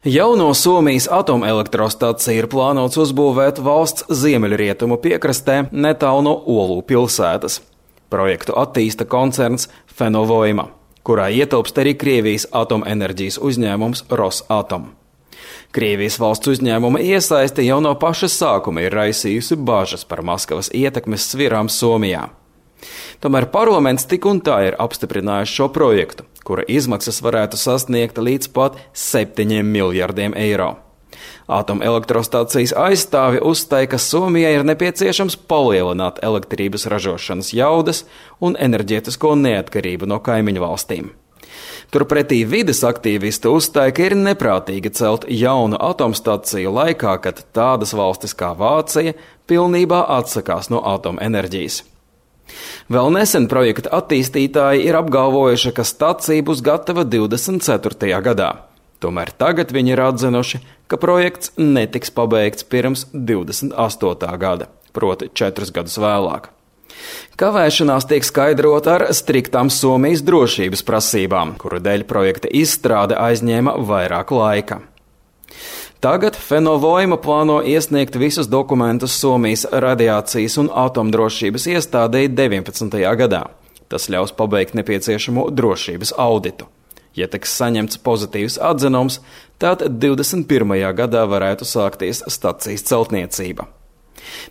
Jauno Somijas atomelektrostaciju ir plānots uzbūvēt valsts ziemeļrietumu piekrastē netālu no Olu pilsētas. Projektu attīsta koncerns Fenovoima, kurā ietilpst arī Krievijas atomenerģijas uzņēmums Rosatom. Krievijas valsts uzņēmuma iesaiste jau no paša sākuma ir raisījusi bažas par Maskavas ietekmes svirām Somijā. Tomēr parlaments tik un tā ir apstiprinājis šo projektu, kura izmaksas varētu sasniegt līdz pat 7 miljardiem eiro. Atomelektrostacijas aizstāvi uzstāja, ka Somijai ir nepieciešams palielināt elektrības ražošanas jaudas un enerģētisko neatkarību no kaimiņu valstīm. Turpretī vides aktīvisti uzstāja, ka ir neprātīgi celt jaunu atomstaciju laikā, kad tādas valstis kā Vācija pilnībā atsakās no atomenerģijas. Vēl nesen projekta attīstītāji ir apgalvojuši, ka stacija būs gatava 24. gadā. Tomēr tagad viņi ir atzinuši, ka projekts netiks pabeigts pirms 28. gada, proti 4 gadus vēlāk. Kavēšanās tiek skaidrota ar striktām Somijas drošības prasībām, kuru dēļ projekta izstrāde aizņēma vairāk laika. Tagad Fenovoima plāno iesniegt visus dokumentus Somijas radiācijas un atomdrošības iestādei 19. gadā. Tas ļaus pabeigt nepieciešamo drošības auditu. Ja tiks saņemts pozitīvs atzinums, tad 21. gadā varētu sākties stacijas celtniecība.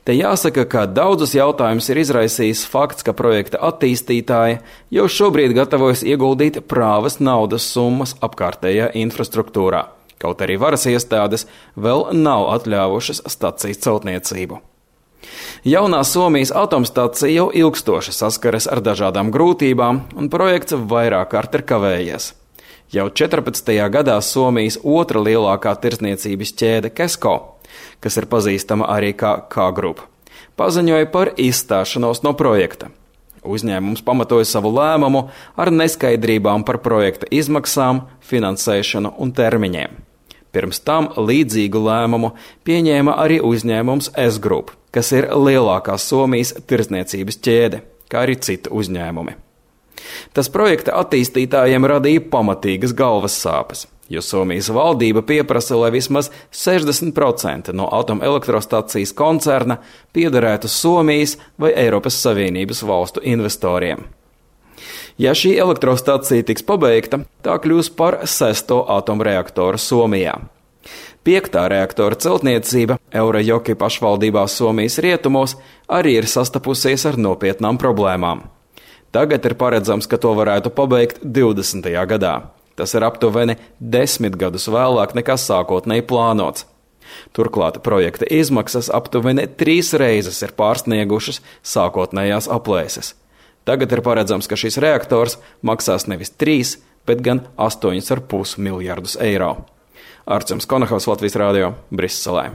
Te jāsaka, ka daudzus jautājumus ir izraisījis fakts, ka projekta attīstītāji jau šobrīd gatavojas ieguldīt prāvas naudas summas apkārtējā infrastruktūrā, kaut arī varas iestādes vēl nav atļāvušas stacijas celtniecību. Jaunā Somijas atomstacija jau ilgstoši saskaras ar dažādām grūtībām, un projekts vairāk kārt ir kavējies. Jau 14. gadā Somijas otra lielākā tirdzniecības ķēde Kesko, kas ir pazīstama arī kā K-Group, paziņoja par izstāšanos no projekta. Uzņēmums pamatoja savu lēmumu ar neskaidrībām par projekta izmaksām, finansēšanu un termiņiem. Pirms tam līdzīgu lēmumu pieņēma arī uzņēmums S-Group, kas ir lielākā Somijas tirdzniecības ķēde, kā arī citi uzņēmumi. Tas projekta attīstītājiem radīja pamatīgas galvas sāpes, jo Somijas valdība pieprasa, lai vismaz 60% no atomelektrostacijas koncerna piederētu Somijas vai Eiropas Savienības valstu investoriem. Ja šī elektrostacija tiks pabeigta, tā kļūs par 6. atomreaktoru Somijā. 5. reaktora celtniecība Eurajoki pašvaldībā Somijas rietumos arī ir sastapusies ar nopietnām problēmām. Tagad ir paredzams, ka to varētu pabeigt 20. gadā. Tas ir aptuveni 10 gadus vēlāk nekā sākotnēji plānots. Turklāt projekta izmaksas aptuveni 3 reizes ir pārsniegušas sākotnējās aplēses. Tagad ir paredzams, ka šis reaktors maksās nevis 3, bet gan 8,5 miljardus eiro. Arčuns Konahaus, Latvijas Rādio, Briselē.